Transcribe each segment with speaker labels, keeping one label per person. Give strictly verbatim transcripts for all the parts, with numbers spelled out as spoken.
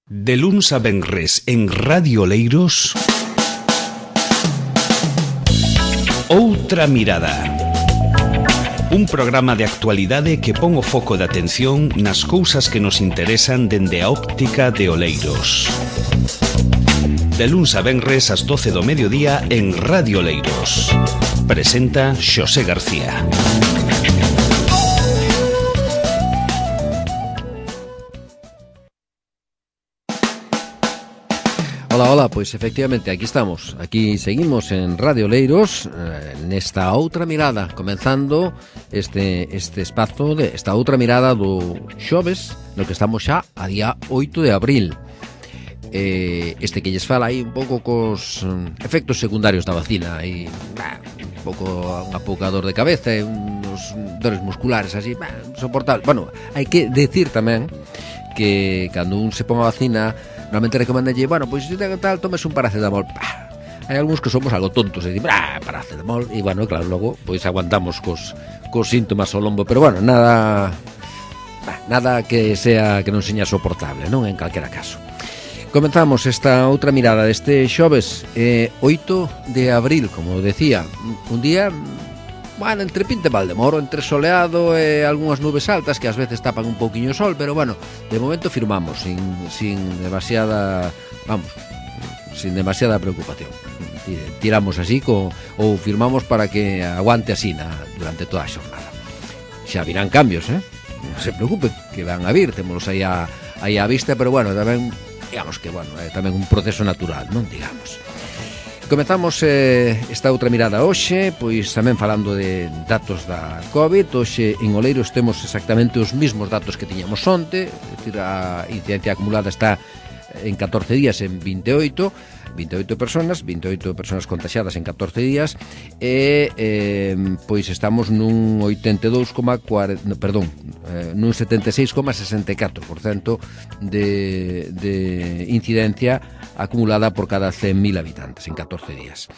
Speaker 1: De luns a venres en Radio Oleiros, Outra Mirada. Un programa de actualidade que pon o foco de atención nas cousas que nos interesan dende a óptica de Oleiros. De luns a venres ás doce do mediodía en Radio Oleiros. Presenta Xosé García.
Speaker 2: Hola, hola, pois efectivamente aquí estamos, aquí seguimos en Radio Oleiros, eh, nesta outra mirada, comenzando este este espazo, de esta outra mirada do xoves, no que estamos xa a día oito de abril. Eh, este que lles fala aí un pouco cos um, efectos secundarios da vacina, aí, bah, un pouco unha pouca dor de cabeza e uns dores musculares así, bah, soportable. Bueno, hai que decir tamén que cando un se pon a vacina, normalmente recomendalle, bueno, pois se ten tal, tomes un paracetamol. Pah. Hai algúns que somos algo tontos e dicen, ah, paracetamol, e bueno, claro, logo pois aguantamos cos, cos síntomas ao lombo, pero bueno, nada bah, nada que sea que non seña soportable, non, en calquera caso. Comenzamos esta outra mirada deste xoves, eh, oito de abril, como decía, un día, bueno, entre pinte Valdemoro, entre soleado e algunhas nubes altas que ás veces tapan un pouquiño o sol, pero bueno, de momento firmamos sin, sin demasiada, vamos, sin demasiada preocupación. Tiramos así co, ou firmamos para que aguante así na, durante toda a xornada. Xa virán cambios, eh? Non se preocupen, que van a vir, témolos aí a, aí a vista, pero bueno, tamén, digamos que, bueno, é tamén un proceso natural, non digamos. Comezamos eh, esta outra mirada hoxe, pois tamén falando de datos da COVID. Hoxe en Oleiros temos exactamente os mesmos datos que tiñamos onte, é dicir, a incidencia acumulada está en catorce días en vinte e oito, vinte e oito personas, vinte e oito personas contaxiadas en catorce días e eh, pois estamos nun oitenta e dous coma cuarenta, no, perdón, eh, nun setenta e seis coma sesenta e catro por cento de, de incidencia acumulada por cada cen mil habitantes en catorce días.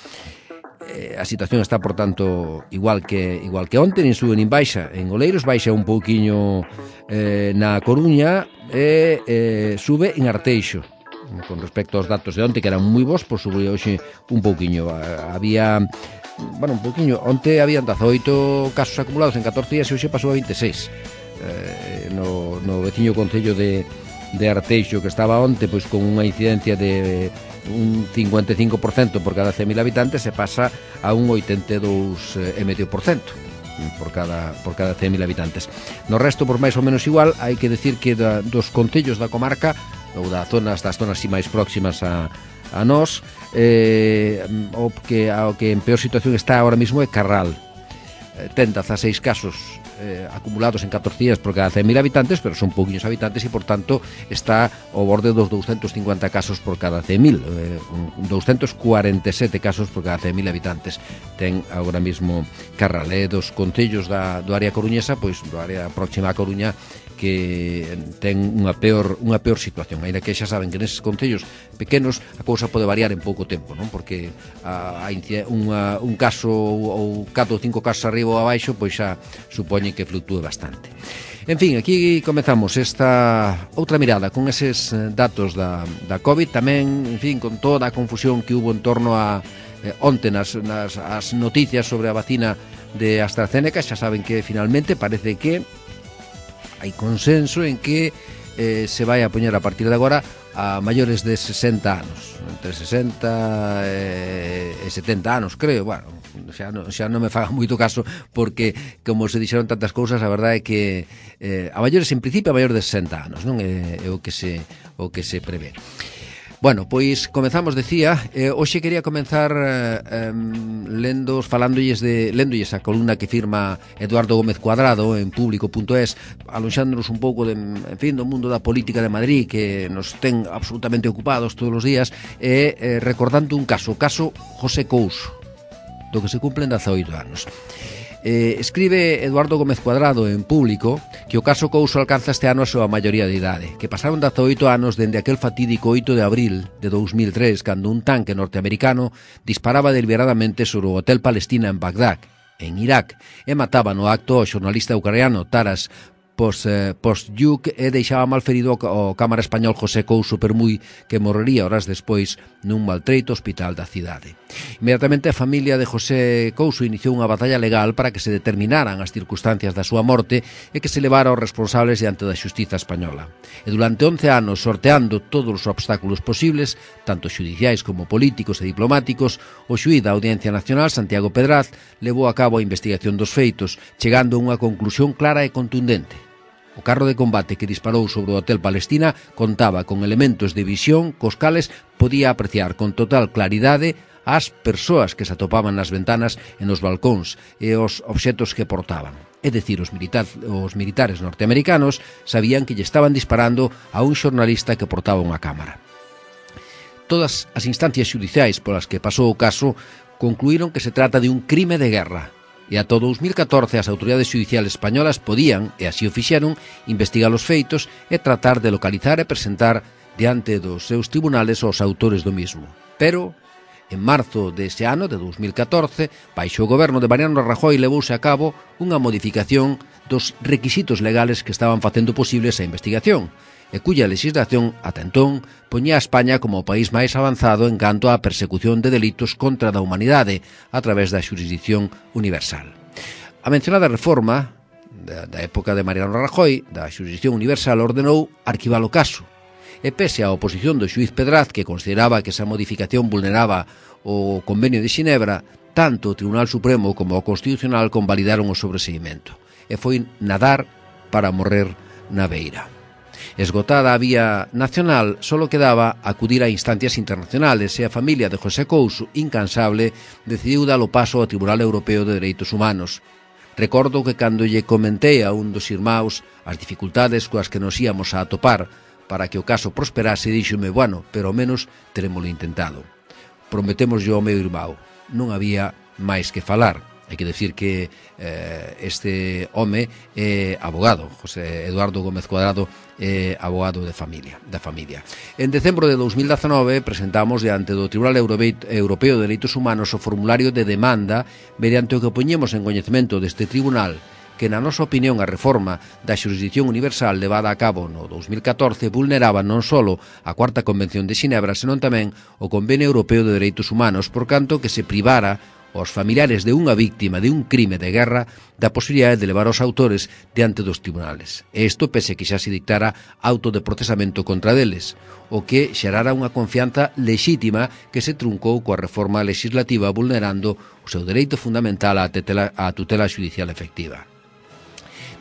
Speaker 2: Eh, a situación está, por tanto, igual que igual que onte, nin sube nin baixa en Oleiros, baixa un pouquiño eh, na Coruña e eh, sube en Arteixo. Con respecto aos datos de onte, que eran moi bons, pois sube hoxe un pouquiño. Había, bueno, un pouquiño, onte habían dezaoito casos acumulados en catorce días e hoxe pasou a vinte e seis. Eh, no, no veciño concello de de Arteixo, que estaba onte pois con unha incidencia de un cincuenta e cinco por cento por cada cen mil habitantes, se pasa a un oitenta e dous coma cinco por cento por cada por cada cen mil habitantes. No resto, por máis ou menos igual, hai que decir que da, dos concellos da comarca ou das zonas das zonas así máis próximas a a nós, eh, o que ao que en peor situación está ahora mismo é Carral. Eh, ten dezaseis casos Eh, acumulados en catorce días por cada cen mil habitantes, pero son pouquiños habitantes e, por tanto, está ao borde dos doscientos cincuenta casos por cada cen mil, eh, doscientos cuarenta e sete casos por cada cen mil habitantes ten agora mesmo Carral. Eh, dos concellos da, do área coruñesa, pois do área próxima a Coruña, que ten unha peor unha peor situación, aínda que xa saben que neses concellos pequenos a cousa pode variar en pouco tempo, non? Porque a, a unha, un caso ou catro ou cinco casos arriba ou abaixo, pois xa supoñen que fluctúe bastante. En fin, aquí comezamos esta outra mirada con eses datos da, da COVID, tamén, en fin, con toda a confusión que hubo en torno a eh, onte nas, nas as noticias sobre a vacina de AstraZeneca. Xa saben que finalmente parece que hai consenso en que eh, se vai a poñer a partir de agora a maiores de sesenta anos, entre sesenta e setenta anos, creo. Bueno, xa non, xa non me faga moito caso, porque como se dixeron tantas cousas, a verdade é que eh, a maiores, en principio, a maiores de sesenta anos, non é, é o que se o que se prevé. Bueno, pois comezamos, decía, eh, hoxe quería comenzar eh, lendo, falándolles de, lendolles a columna que firma Eduardo Gómez Cuadrado en público punto es, alonxándonos un pouco de, en fin, do mundo da política de Madrid, que nos ten absolutamente ocupados todos os días, e eh, recordando un caso, o caso José Couso, do que se cumplen dezaoito anos. Eh, escribe Eduardo Gómez Cuadrado en público que o caso Couso alcanza este ano a súa maioría de idade, que pasaron dezaoito anos dende aquel fatídico oito de abril de dous mil tres, cando un tanque norteamericano disparaba deliberadamente sobre o Hotel Palestina en Bagdad, en Irak, e mataba no acto ao xornalista ucraniano Taras pos, eh, post-Lluc e deixaba malferido o cámara español José Couso Permui, que morrería horas despois nun maltreito hospital da cidade. Inmediatamente a familia de José Couso iniciou unha batalla legal para que se determinaran as circunstancias da súa morte e que se levara aos responsables diante da xustiza española. E durante once anos, sorteando todos os obstáculos posibles, tanto xudiciais como políticos e diplomáticos, o xuíz da Audiencia Nacional, Santiago Pedraz, levou a cabo a investigación dos feitos, chegando a unha conclusión clara e contundente. O carro de combate que disparou sobre o Hotel Palestina contaba con elementos de visión cos cales podía apreciar con total claridade as persoas que se atopaban nas ventanas e nos balcóns e os obxetos que portaban. É dicir, os, militar, os militares norteamericanos sabían que lle estaban disparando a un xornalista que portaba unha cámara. Todas as instancias xudiciais polas que pasou o caso concluíron que se trata de un crime de guerra, e ata o dous mil catorce as autoridades xudiciales españolas podían, e así o fixeron, investigar os feitos e tratar de localizar e presentar diante dos seus tribunales os autores do mismo. Pero, en marzo dese ano, de dous mil catorce, baixo o goberno de Mariano Rajoy levouse a cabo unha modificación dos requisitos legales que estaban facendo posible esa investigación, e cuya legislación, ata entón, poñía a España como o país máis avanzado en canto á persecución de delitos contra da humanidade a través da xurisdicción universal. A mencionada reforma da, da época de Mariano Rajoy, da xurisdicción universal, ordenou arquivar o caso, e pese á oposición do xuíz Pedraz, que consideraba que esa modificación vulneraba o Convenio de Xinebra, tanto o Tribunal Supremo como o Constitucional convalidaron o sobreseimento, e foi nadar para morrer na beira. Esgotada a vía nacional, solo quedaba acudir a instancias internacionales e a familia de José Couso, incansable, decidiu dar o paso ao Tribunal Europeo de Dereitos Humanos. Recordo que cando lle comentei a un dos irmáus as dificultades coas que nos íamos a atopar para que o caso prosperase, díxome, bueno, pero ao menos terémolo intentado. Prometemos yo ao meu irmão, non había máis que falar. Hai que decir que eh, este home é abogado, José Eduardo Gómez Cuadrado é abogado de familia, da familia. En decembro de dous mil dezanove presentamos diante do Tribunal Europeo de Dereitos Humanos o formulario de demanda mediante o que poñemos en coñecemento deste tribunal que, na nosa opinión, a reforma da xurisdicción universal levada a cabo no dous mil catorce vulneraba non só a Cuarta Convención de Xinebra, senón tamén o Convenio Europeo de Dereitos Humanos, por canto que se privara aos familiares de unha víctima de un crime de guerra da posibilidade de levar os autores diante dos tribunales. E isto pese que xa se dictara auto de procesamento contra deles, o que xerara unha confianza lexítima que se truncou coa reforma legislativa vulnerando o seu dereito fundamental á tutela, á tutela xudicial efectiva.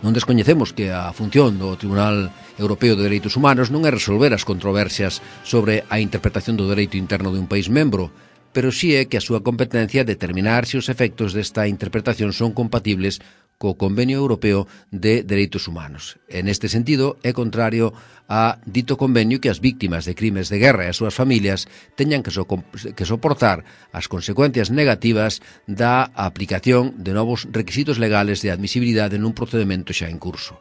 Speaker 2: Non descoñecemos que a función do Tribunal Europeo de Dereitos Humanos non é resolver as controversias sobre a interpretación do dereito interno de un país membro, pero sí é que a súa competencia é determinar se os efectos desta interpretación son compatibles co Convenio Europeo de Dereitos Humanos. En este sentido, é contrario a dito convenio que as víctimas de crimes de guerra e as súas familias teñan que, so, que soportar as consecuencias negativas da aplicación de novos requisitos legales de admisibilidade nun procedimento xa en curso.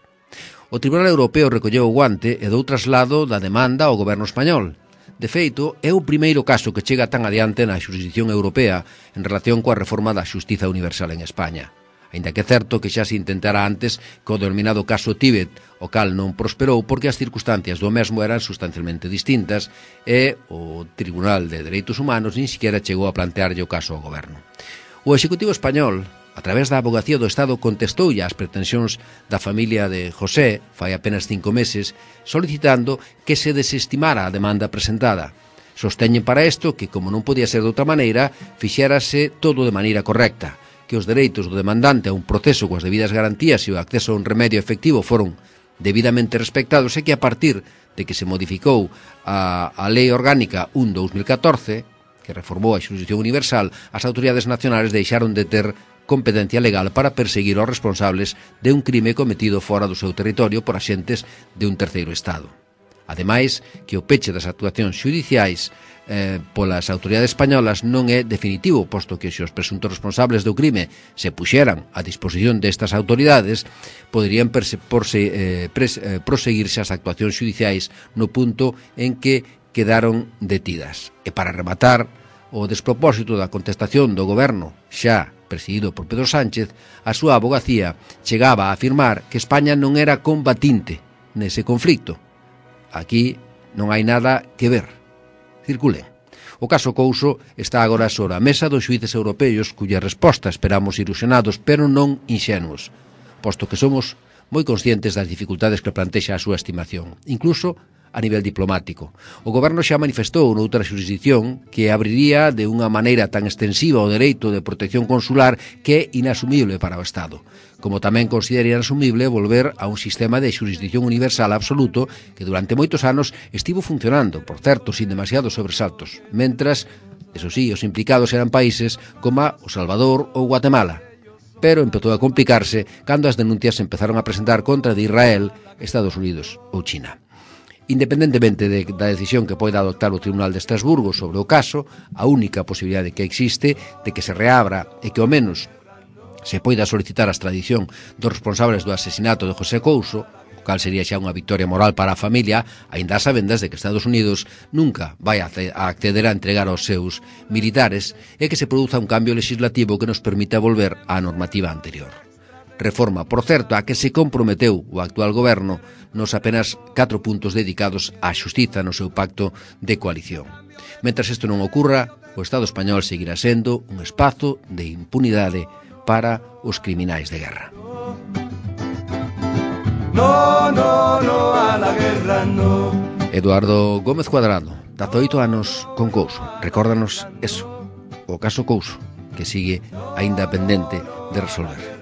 Speaker 2: O Tribunal Europeo recolleu o guante e dou traslado da demanda ao goberno español. De feito, é o primeiro caso que chega tan adiante na xurisdicción europea en relación coa reforma da xustiza universal en España. Aínda que é certo que xa se intentara antes co denominado caso Tíbet, o cal non prosperou porque as circunstancias do mesmo eran sustancialmente distintas e o Tribunal de Dereitos Humanos nin siquiera chegou a plantearlle o caso ao goberno. O Executivo español, a través da Avogacía do Estado, contestoulle ás pretensións da familia de José, fai apenas cinco meses, solicitando que se desestimara a demanda presentada. Sosteñen para isto que, como non podía ser de outra maneira, fixérase todo de maneira correcta, que os dereitos do demandante a un proceso coas debidas garantías e o acceso a un remedio efectivo foron debidamente respectados e que a partir de que se modificou a, a Lei Orgánica un barra dous mil catorce, que reformou a xurisdicción universal, as autoridades nacionales deixaron de ter competencia legal para perseguir os responsables de un crime cometido fora do seu territorio por axentes de un terceiro Estado. Ademais, que o peche das actuacións xudiciais eh, polas autoridades españolas non é definitivo, posto que se os presuntos responsables do crime se puxeran a disposición destas autoridades, poderían perse, porse, eh, pres, eh, proseguirse as actuacións xudiciais no punto en que quedaron detidas. E para rematar, o despropósito da contestación do goberno xa presidido por Pedro Sánchez, a súa abogacía chegaba a afirmar que España non era combatinte nese conflicto. Aquí non hai nada que ver. Circulen. O caso Couso está agora sobre a mesa dos xuíces europeos, cuya resposta esperamos ilusionados, pero non inxenuos, posto que somos moi conscientes das dificultades que plantexa a súa estimación, incluso a nivel diplomático. O goberno xa manifestou noutra xurisdicción que abriría de unha maneira tan extensiva o dereito de protección consular que é inasumible para o Estado, como tamén considera inasumible volver a un sistema de xurisdicción universal absoluto que durante moitos anos estivo funcionando, por certo, sin demasiados sobresaltos, mentras, eso sí, os implicados eran países como o Salvador ou Guatemala. Pero empezou a complicarse cando as denuncias se empezaron a presentar contra de Israel, Estados Unidos ou China. Independentemente de, da decisión que poida adoptar o Tribunal de Estrasburgo sobre o caso, a única posibilidade que existe de que se reabra e que ao menos se poida solicitar a extradición dos responsables do asesinato de José Couso, o cal sería xa unha victoria moral para a familia, aínda a sabendas de que Estados Unidos nunca vai a acceder a entregar aos seus militares e que se produza un cambio legislativo que nos permita volver á normativa anterior. Reforma, por certo, a que se comprometeu o actual goberno nos apenas catro puntos dedicados á xustiza no seu pacto de coalición. Mentras isto non ocurra, o Estado español seguirá sendo un espazo de impunidade para os criminais de guerra. No, no, no, a la guerra, no. Eduardo Gómez Cuadrado, dezaoito anos con Couso. Recórdanos eso, o caso Couso, que sigue aínda pendente de resolver.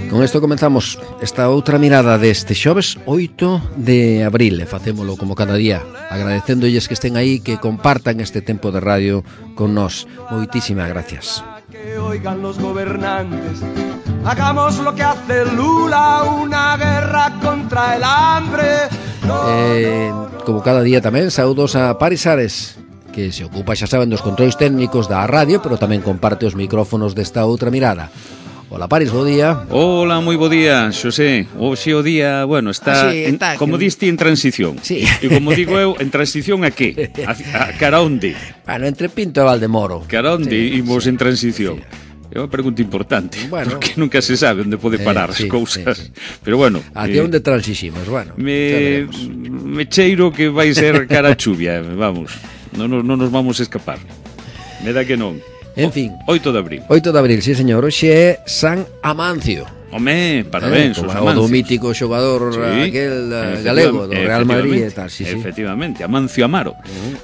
Speaker 2: Con isto comenzamos esta outra mirada deste xoves oito de abril e facémolo como cada día, agradecéndolles que estén aí, que compartan este tempo de radio con nós. Moitísimas gracias. Que oigan los gobernantes, hagamos lo que hace Lula, una guerra contra el hambre. Eh, como cada día tamén, saúdos a Paris Ares, que se ocupa, xa saben, dos controis técnicos da radio, pero tamén comparte os micrófonos desta outra mirada. Hola, Paris, bo día.
Speaker 3: Hola, moi bo día, Xosé. Hoxe o día, bueno, está, ah, sí, está en, como que... diste, en transición.
Speaker 2: Sí.
Speaker 3: E como digo eu, en transición a que? A, a cara onde?
Speaker 2: Bueno, entre Pinto e Valdemoro.
Speaker 3: Cara onde sí, imos sí, en transición? Sí. É unha pregunta importante, bueno, porque nunca se sabe onde pode parar eh, sí, as cousas. Sí, sí. Pero bueno...
Speaker 2: Hacia eh, onde transisimos, bueno.
Speaker 3: Me, me cheiro que vai ser cara a chuvia, vamos. Non no, no nos vamos a escapar. Me da que non.
Speaker 2: En fin,
Speaker 3: oito de abril.
Speaker 2: oito de abril, sí, señor. Hoxe é San Amancio.
Speaker 3: Home, parabéns,
Speaker 2: eh, os Amancios. O do mítico xogador sí, aquel galego do Real Madrid e tal, sí, sí.
Speaker 3: Efectivamente, Amancio Amaro.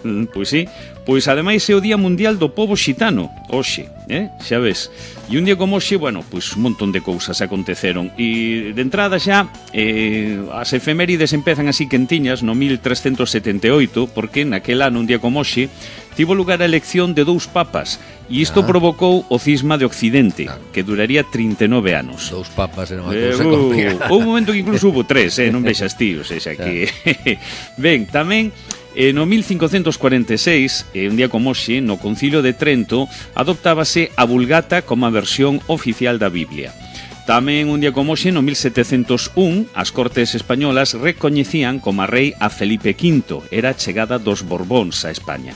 Speaker 3: Uh-huh. Pois sí, pois ademais é o Día Mundial do Pobo Xitano, hoxe, eh? Xa ves. E un día como hoxe, bueno, pois un montón de cousas aconteceron. E de entrada xa, eh, as efemérides empezan así quentiñas no mil trescentos setenta e oito, porque naquel ano, un día como hoxe, tivo lugar a elección de dous papas e isto ah. provocou o cisma de Occidente, claro, que duraría trinta e nove anos.
Speaker 2: Dous papas era unha cousa eh, uh, complicada.
Speaker 3: Houve un momento que incluso hubo tres, eh, non vexas ti, o sea, que... Ben, tamén, eh, no mil cincocentos cuarenta e seis, eh, un día como hoxe, no Concilio de Trento, adoptábase a Vulgata como a versión oficial da Biblia. Tamén un día como hoxe, no mil setecentos un, as Cortes españolas recoñecían como a rei a Felipe quinto, era a chegada dos Borbóns a España.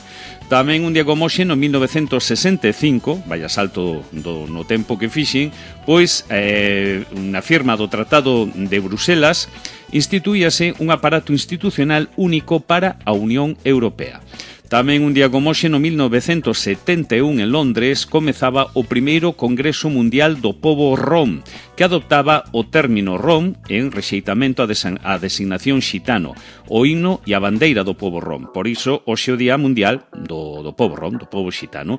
Speaker 3: Tamén un día como hoxe, no mil novecentos sesenta e cinco, vaya salto do, no tempo que fixen, pois eh, na firma do Tratado de Bruselas instituíase un aparato institucional único para a Unión Europea. Tamén un día como hoxe, no mil novecentos setenta e un, en Londres, comezaba o primeiro Congreso Mundial do Pobo Rom, que adoptaba o término rom en rexeitamento a, desa- a designación xitano, o himno e a bandeira do pobo rom. Por iso, hoxe o Día Mundial do, do Pobo Rom, do pobo xitano.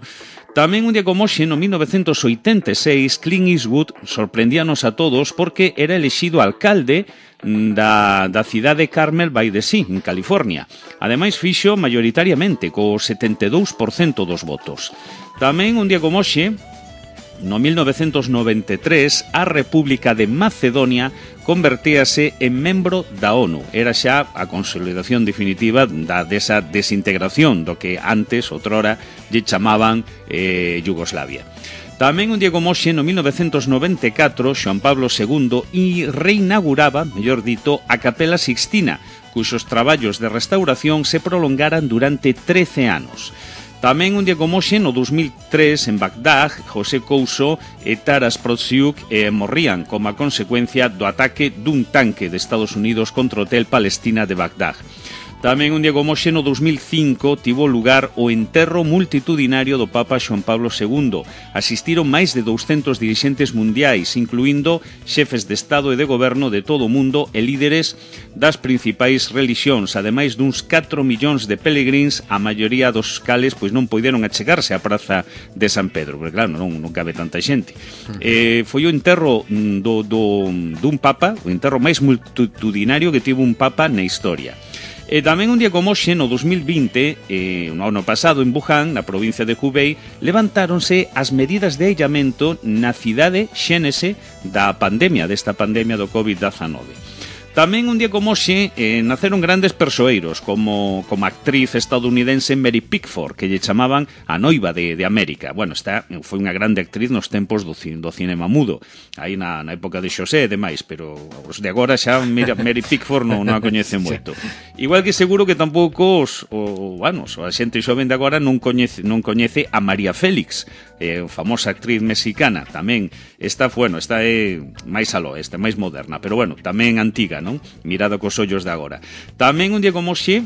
Speaker 3: Tamén un día como hoxe, no mil novecentos oitenta e seis, Clint Eastwood sorprendíanos a todos porque era elexido alcalde da, da cidade Carmel by the Sea, en California. Ademais, fixo mayoritariamente, co setenta e dous por cento dos votos. Tamén un día como hoxe, no mil novecentos noventa e tres, a República de Macedonia convertíase en membro da ONU. Era xa a consolidación definitiva da desa desintegración do que antes, outrora, lle chamaban eh, Yugoslavia. Tamén un día como hoxe, no mil novecentos noventa e catro, Xoán Pablo segundo e reinauguraba, mellor dito, a Capela Sixtina, cuxos traballos de restauración se prolongaran durante trece anos. Tamén un día como hoxe, no dos mil tres, en Bagdad, José Couso e Taras Protsiuk eh, morrían como a consecuencia do ataque dun tanque de Estados Unidos contra o Hotel Palestina de Bagdad. Tamén un día como hoxe, no dos mil cinco, tivo lugar o enterro multitudinario do Papa Xoán Pablo segundo. Asistiron máis de douscentos dirixentes mundiais, incluindo xefes de Estado e de Goberno de todo o mundo e líderes das principais relixións, ademais duns catro millóns de peregrins, a maioría dos cales pois non poideron achegarse á Praza de San Pedro, porque claro, non, non cabe tanta xente. Eh, foi o enterro do, do, dun Papa, o enterro máis multitudinario que tivo un Papa na historia. E tamén un día como hoxe, no dos mil vinte, eh, no ano pasado en Wuhan, na provincia de Hubei, levantáronse as medidas de aillamento na cidade xénese da pandemia, desta pandemia do covid diecinueve. Tamén un día como hoxe eh, naceron grandes persoeiros como, como actriz estadounidense Mary Pickford, que lle chamaban a noiva de, de América. Bueno, esta foi unha grande actriz nos tempos do, do cinema mudo, aí na, na época de Xosé e demais, pero os de agora xa Mary Pickford non, non a coñecen moito. Igual que seguro que tampouco os, o, bueno, a xente xoven de agora non coñece, non coñece a María Félix, eh, famosa actriz mexicana. Tamén esta, bueno, esta é máis aló, esta é máis moderna, pero bueno, tamén antiga, non? Mirada cos ollos de agora. Tamén un día como hoxe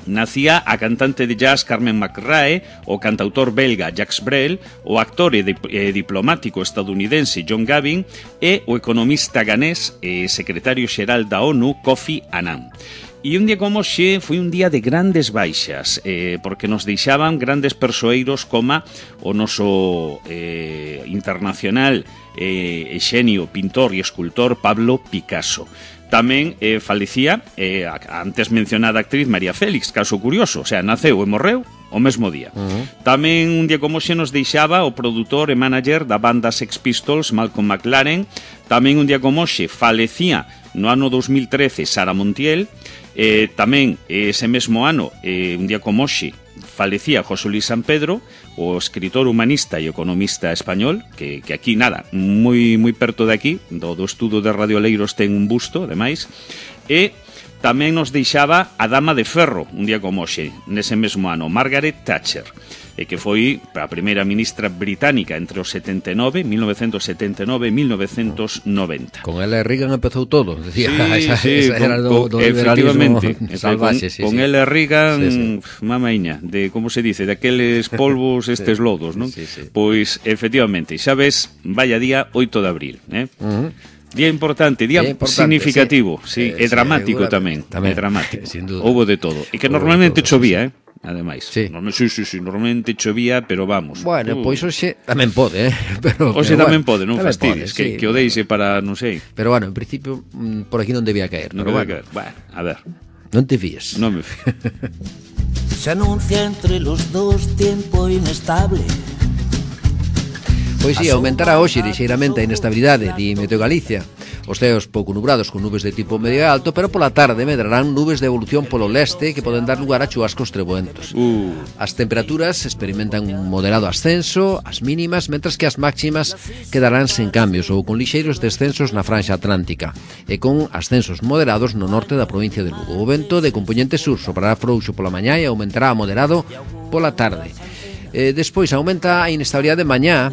Speaker 3: nacía a cantante de jazz Carmen McRae, o cantautor belga Jacques Brel, o actor e, dip e diplomático estadounidense John Gavin e o economista ganés e secretario xeral da ONU Kofi Annan. E un día como hoxe foi un día de grandes baixas, eh, porque nos deixaban grandes persoeiros como o noso eh, internacional eh, xenio, pintor e escultor Pablo Picasso. Tamén eh, falecía eh, a antes mencionada actriz María Félix, caso curioso, o sea, naceu e morreu o mesmo día. Uh-huh. Tamén un día como xe nos deixaba o produtor e manager da banda Sex Pistols, Malcolm McLaren. Tamén un día como xe falecía no ano dos mil trece Sara Montiel. Eh, tamén ese mesmo ano, eh, un día como xe, falecía José Luis San Pedro, o escritor humanista e economista español, que, que aquí, nada, moi moi perto de aquí, do, do estudo de Radio Oleiros ten un busto, ademais, e tamén nos deixaba a Dama de Ferro, un día como hoxe, nese mesmo ano, Margaret Thatcher, e que foi a primeira ministra británica entre os setenta e nove, mil novecientos setenta e nove e mil novecientos noventa.
Speaker 2: Con ela Reagan empezou todo, decía,
Speaker 3: sí,
Speaker 2: esa,
Speaker 3: sí,
Speaker 2: esa era
Speaker 3: con,
Speaker 2: do, do
Speaker 3: efectivamente,
Speaker 2: salvaxe, sí,
Speaker 3: con
Speaker 2: sí.
Speaker 3: ela Reagan,
Speaker 2: sí, sí.
Speaker 3: mamaiña, de como se dice, de aqueles polvos, estes sí, lodos, non?
Speaker 2: Sí, sí.
Speaker 3: Pois, efectivamente, xa ves, vaya día oito de abril, eh? Uh-huh. Día importante, día, día importante, significativo, sí, sí, e dramático sí, tamén, tamén, é dramático. Sin duda. Houbo de todo, e que Houbo normalmente todo, chovía, sí, eh? Ademais, sí. sí, sí, sí, normalmente chovía, pero vamos.
Speaker 2: Bueno,
Speaker 3: uh.
Speaker 2: pois hoxe tamén pode, eh? Pero,
Speaker 3: hoxe
Speaker 2: pero
Speaker 3: tamén
Speaker 2: bueno,
Speaker 3: pode, non fastidies, que,
Speaker 2: sí,
Speaker 3: que o deixe para, non sei.
Speaker 2: Pero bueno, en principio, por aquí non debía caer.
Speaker 3: Non
Speaker 2: pero
Speaker 3: debía
Speaker 2: bueno.
Speaker 3: caer, bueno, a ver.
Speaker 2: Non te fíes.
Speaker 3: Non me fío.
Speaker 4: Se anuncia entre los dos tiempo inestable.
Speaker 2: Pois si, aumentará hoxe lixeiramente a inestabilidade, di Meteo Galicia. Os ceos pouco nubrados con nubes de tipo medio alto, pero pola tarde medrarán nubes de evolución polo leste que poden dar lugar a chubascos trebuentos.
Speaker 3: Uh.
Speaker 2: As temperaturas experimentan un moderado ascenso, as mínimas, mentras que as máximas quedarán sen cambios ou con lixeiros descensos na franxa atlántica e con ascensos moderados no norte da provincia de Lugo. O vento de compoñente sur soprará frouxo pola mañá e aumentará a moderado pola tarde. Eh, despois aumenta a inestabilidade de mañá,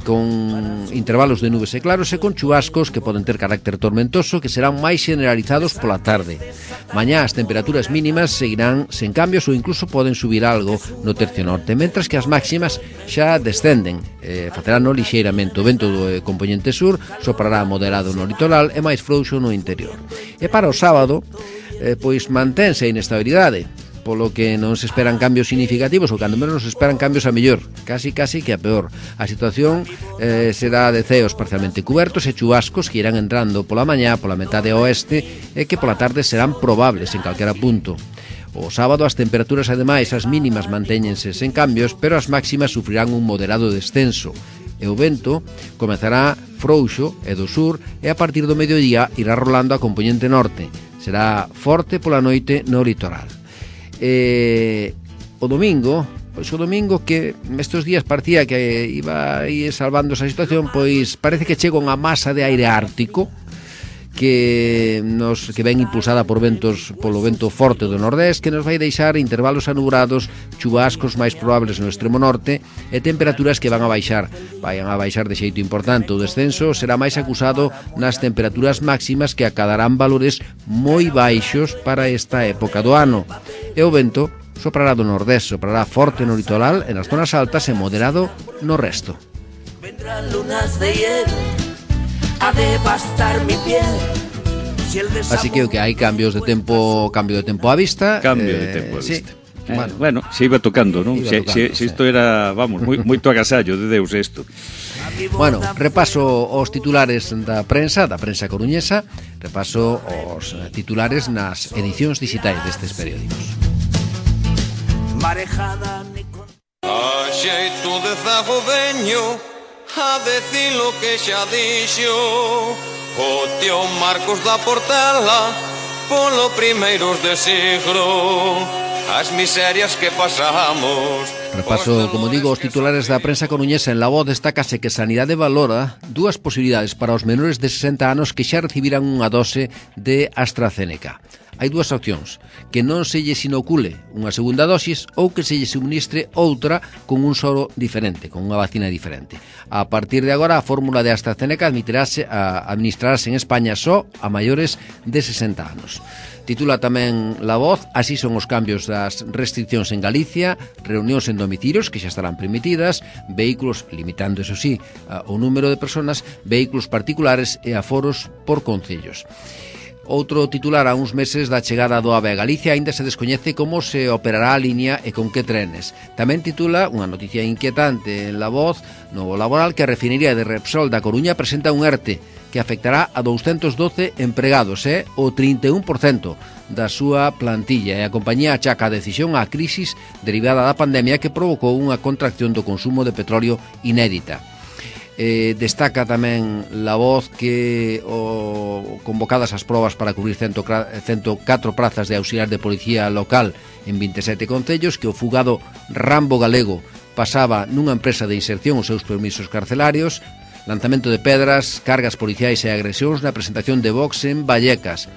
Speaker 2: con intervalos de nubes e claros e con chubascos que poden ter carácter tormentoso que serán máis generalizados pola tarde. Mañá as temperaturas mínimas seguirán sen cambios ou incluso poden subir algo no tercio norte, mentras que as máximas xa descenden, eh, facerán no lixeiramente. O vento do eh, compoñente sur soprará moderado no litoral e máis frouxo no interior. E para o sábado, eh, pois mantense a inestabilidade, polo que non se esperan cambios significativos, ou cando menos se esperan cambios a mellor, casi casi que a peor. A situación eh, será de ceos parcialmente cubertos e chubascos que irán entrando pola mañá, pola metade oeste, e que pola tarde serán probables en calquera punto. O sábado as temperaturas, ademais, as mínimas mantéñense sen cambios, pero as máximas sufrirán un moderado descenso, e o vento comezará frouxo e do sur, e a partir do mediodía irá rolando a compoñente norte. Será forte pola noite no litoral. Eh, o domingo, pois o domingo que estes días parecía que iba a ir salvando esa situación, pois parece que chega unha masa de aire ártico que nos que ven impulsada por ventos polo vento forte do nordés, que nos vai deixar intervalos anubrados, chubascos máis probables no extremo norte e temperaturas que van a baixar, vayan a baixar de xeito importante. O descenso será máis acusado nas temperaturas máximas, que acadarán valores moi baixos para esta época do ano. E o vento soprará do nordés, soprará forte no litoral e nas zonas altas e moderado no resto.
Speaker 4: Vendrán lunas de hiel a devastar mi piel. Si el
Speaker 2: Así que o que hai cambios de tempo, cambio de tempo á vista.
Speaker 3: Cambio eh, de tempo á vista. Sí. Eh, bueno, bueno, se iba tocando, non? Se, se, se isto era, vamos, moi, moito agasallo de Deus isto.
Speaker 2: Bueno, repaso os titulares da prensa, da prensa coruñesa, repaso os titulares nas edicións digitais destes periódicos.
Speaker 4: Marejada ni con...
Speaker 5: A xeito de zagodeño, a decir lo que xa dixo o tío Marcos da Portela polo primeiros de siglo, as miserias que pasamos.
Speaker 2: Repaso, como digo, os titulares da prensa coruñesa. En La Voz destácase que Sanidade valora dúas posibilidades para os menores de sesenta anos que xa recibiran unha dose de AstraZeneca. Hai dúas opcións: que non se lles inocule unha segunda dosis ou que se lles suministre outra con un soro diferente, con unha vacina diferente. A partir de agora, a fórmula de AstraZeneca admitirase a administrarse en España só a maiores de sesenta anos. Titula tamén La Voz: así son os cambios das restriccións en Galicia, reunións en domicilios que xa estarán permitidas, vehículos, limitando, eso sí, o número de personas, vehículos particulares e aforos por concellos. Outro titular: a uns meses da chegada do AVE a Galicia aínda se descoñece como se operará a línea e con que trenes. Tamén titula unha noticia inquietante en La Voz: novo laboral, que a refinería de Repsol da Coruña presenta un ERTE que afectará a doscientos doce empregados, é o trinta e un por cento da súa plantilla, e a compañía achaca a decisión á crisis derivada da pandemia que provocou unha contracción do consumo de petróleo inédita. Eh, destaca tamén La Voz que o, convocadas as probas para cubrir cento catro prazas de auxiliar de policía local en vinte e sete concellos, que o fugado Rambo Galego pasaba nunha empresa de inserción os seus permisos carcelarios, lanzamento de pedras, cargas policiais e agresións na presentación de Vox en Vallecas.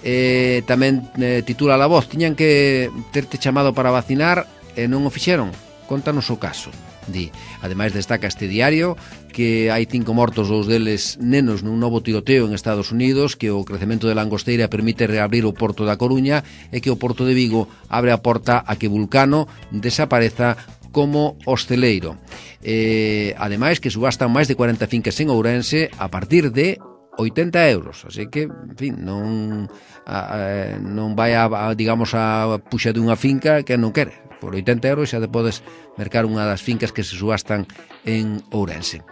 Speaker 2: Eh, tamén eh, titula La Voz: tiñan que terte chamado para vacinar e non o fixeron, contanos o caso. Di. Ademais, destaca este diario que hai cinco mortos, dous deles nenos, nun novo tiroteo en Estados Unidos, que o crecemento de langosteira permite reabrir o porto da Coruña e que o porto de Vigo abre a porta a que Vulcano desapareza como hosteleiro. Eh, ademais, que subastan máis de cuarenta fincas en Ourense a partir de oitenta euros, así que, en fin, non a, a, non vai a, a, digamos, a puxa de unha finca que non quere. Por oitenta euros xa te podes mercar unha das fincas que se subastan en Ourense.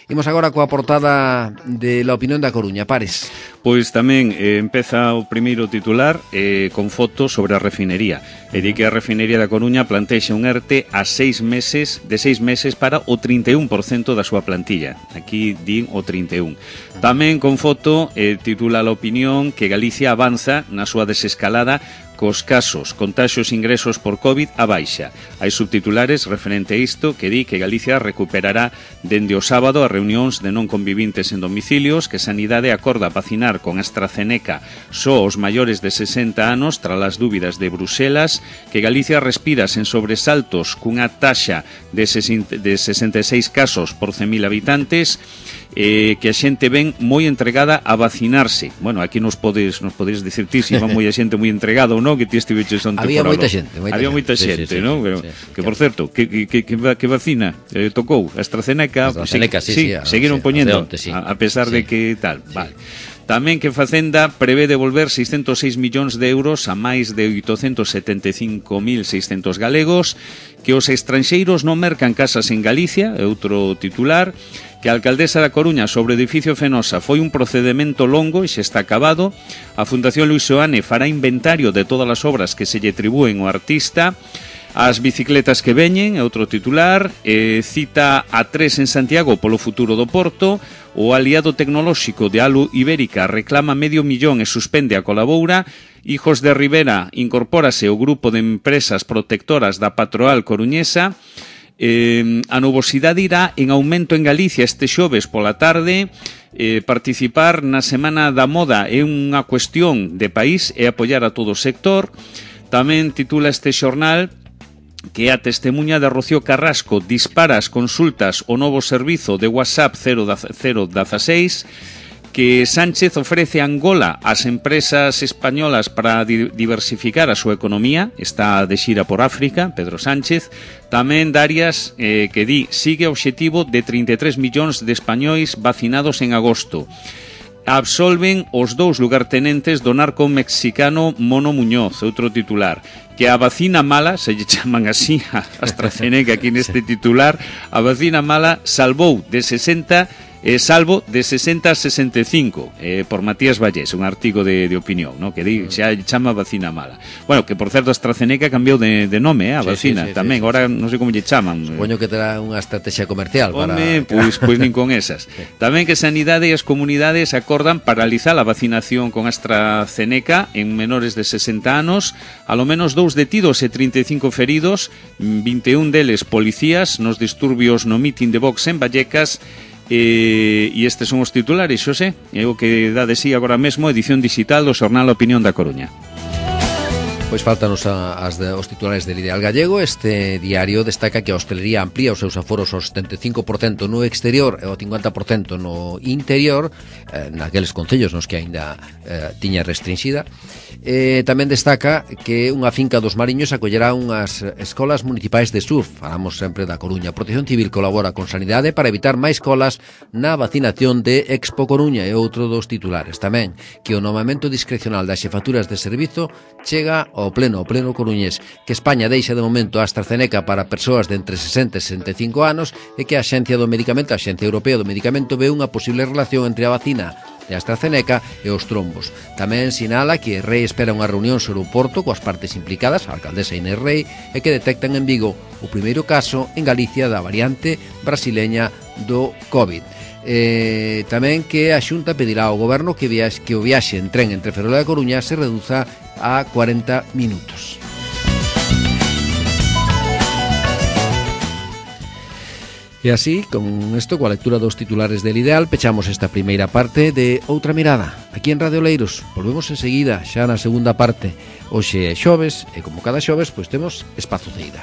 Speaker 2: Imos agora coa portada de La Opinión da Coruña. Pares.
Speaker 3: Pois tamén eh, empeza o primeiro titular eh, con fotos sobre a refinería. E di que a refinería da Coruña plantexa un ERTE a seis meses, de seis meses para o trinta e un por cento da súa plantilla. Aquí din o trinta e un. Tamén con foto eh, titula La Opinión que Galicia avanza na súa desescalada cos casos, contaxios e ingresos por COVID a baixa. Hai subtitulares referente a isto que di que Galicia recuperará dende o sábado as reunións de non convivintes en domicilios, que Sanidade acorda vacinar con AstraZeneca só os maiores de sesenta anos tras as dúbidas de Bruselas, que Galicia respira sen sobresaltos cunha taxa de sesenta e seis casos por cen mil habitantes, eh, que a xente ven moi entregada a vacinarse. Bueno, aquí nos podes nos podes dicir ti se iba moi a xente moi entregada ou non, que ti estiveches onte
Speaker 2: había
Speaker 3: por
Speaker 2: moita xente, moita
Speaker 3: había moita
Speaker 2: xente,
Speaker 3: xente,
Speaker 2: sí, sí,
Speaker 3: non?
Speaker 2: sí,
Speaker 3: Pero,
Speaker 2: sí,
Speaker 3: que por certo, que, que, que, que vacina eh, tocou? AstraZeneca,
Speaker 2: AstraZeneca sí,
Speaker 3: sí,
Speaker 2: sí, sí,
Speaker 3: seguiron
Speaker 2: sí,
Speaker 3: poñendo
Speaker 2: onte, sí.
Speaker 3: a, a pesar
Speaker 2: sí.
Speaker 3: de que tal,
Speaker 2: sí.
Speaker 3: Vale. Tamén que Facenda prevé devolver seiscentos seis millóns de euros a máis de oitocentos setenta e cinco mil seiscentos galegos, que os estranxeiros non mercan casas en Galicia, é outro titular, que a alcaldesa da Coruña sobre o edificio Fenosa foi un procedemento longo e xa está acabado, a Fundación Luis Seoane fará inventario de todas as obras que se lle atribúen ao artista, as bicicletas que veñen, é outro titular, eh, cita a tres en Santiago polo futuro do Porto, o aliado tecnolóxico de Alu Ibérica reclama medio millón e suspende a colaboura, Hijos de Rivera incorpórase ao grupo de empresas protectoras da Patroal coruñesa, Eh, a nubosidade irá en aumento en Galicia este xoves pola tarde. Eh, participar na Semana da Moda é unha cuestión de país e apoiar a todo o sector. Tamén titula este xornal que a testemunha de Rocío Carrasco dispara as consultas o novo servizo de WhatsApp cero dieciséis, que Sánchez ofrece a Angola ás empresas españolas para di diversificar a súa economía. Está de xira por África, Pedro Sánchez. Tamén Darias, eh, que di, sigue o obxectivo de trinta e tres millóns de españois vacinados en agosto. Absolven os dous lugartenentes do narco mexicano Mono Muñoz, outro titular, que a vacina mala, se lle chaman así a AstraZeneca aquí neste titular, a vacina mala salvou de sesenta eh, salvo de sesenta a sesenta e cinco, eh, por Matías Vallés, un artigo de, de opinión, ¿no? Que di, xa chama vacina mala. Bueno, que por certo AstraZeneca cambiou de, de nome, eh, a sí, vacina, sí, sí, tamén, sí, ahora sí, non sei como lle chaman.
Speaker 2: Supoño que terá unha estrategia comercial para...
Speaker 3: Home, pois, pois nin con esas. Sí. Tamén que Sanidade e as comunidades acordan paralizar a vacinación con AstraZeneca en menores de sesenta anos, a lo menos dous detidos e trinta e cinco feridos, vinte e un deles policías nos disturbios no mitin de Vox en Vallecas. E, e estes son os titulares, Xosé, é o que dá de sí agora mesmo edición digital do xornal Opinión da Coruña.
Speaker 2: Pois faltanos a, as de, os titulares del Ideal Gallego. Este diario destaca que a hostelería amplía os seus aforos ao setenta e cinco por cento no exterior e ao cincuenta por cento no interior, eh, naqueles concellos nos que aínda eh, tiña restringida. Eh, tamén destaca que unha finca dos Mariños acollerá unhas escolas municipais de surf. Falamos sempre da Coruña. Protección Civil colabora con Sanidade para evitar máis colas na vacinación de Expo Coruña, e outro dos titulares tamén, que o nomamento discrecional das xefaturas de servizo chega ao pleno, ao pleno coruñés, que España deixa de momento a AstraZeneca para persoas de entre sesenta e sesenta e cinco anos, e que a Axencia do Medicamento, a Axencia Europea do Medicamento, ve unha posible relación entre a vacina de AstraZeneca e os trombos. Tamén sinala que Rei espera unha reunión sobre o Porto coas partes implicadas, a alcaldesa Inés Rei, e que detectan en Vigo o primeiro caso en Galicia da variante brasileña do COVID. Eh, tamén que a Xunta pedirá ao Goberno que, viaxe, que o viaxe en tren entre Ferrol e a Coruña se reduza a cuarenta minutos. E así, con isto, coa lectura dos titulares del Ideal, pechamos esta primeira parte de Outra Mirada, aquí en Radio Oleiros. Volvemos enseguida, xa na segunda parte. Hoxe é xoves, e como cada xoves, pois temos espazo de ida.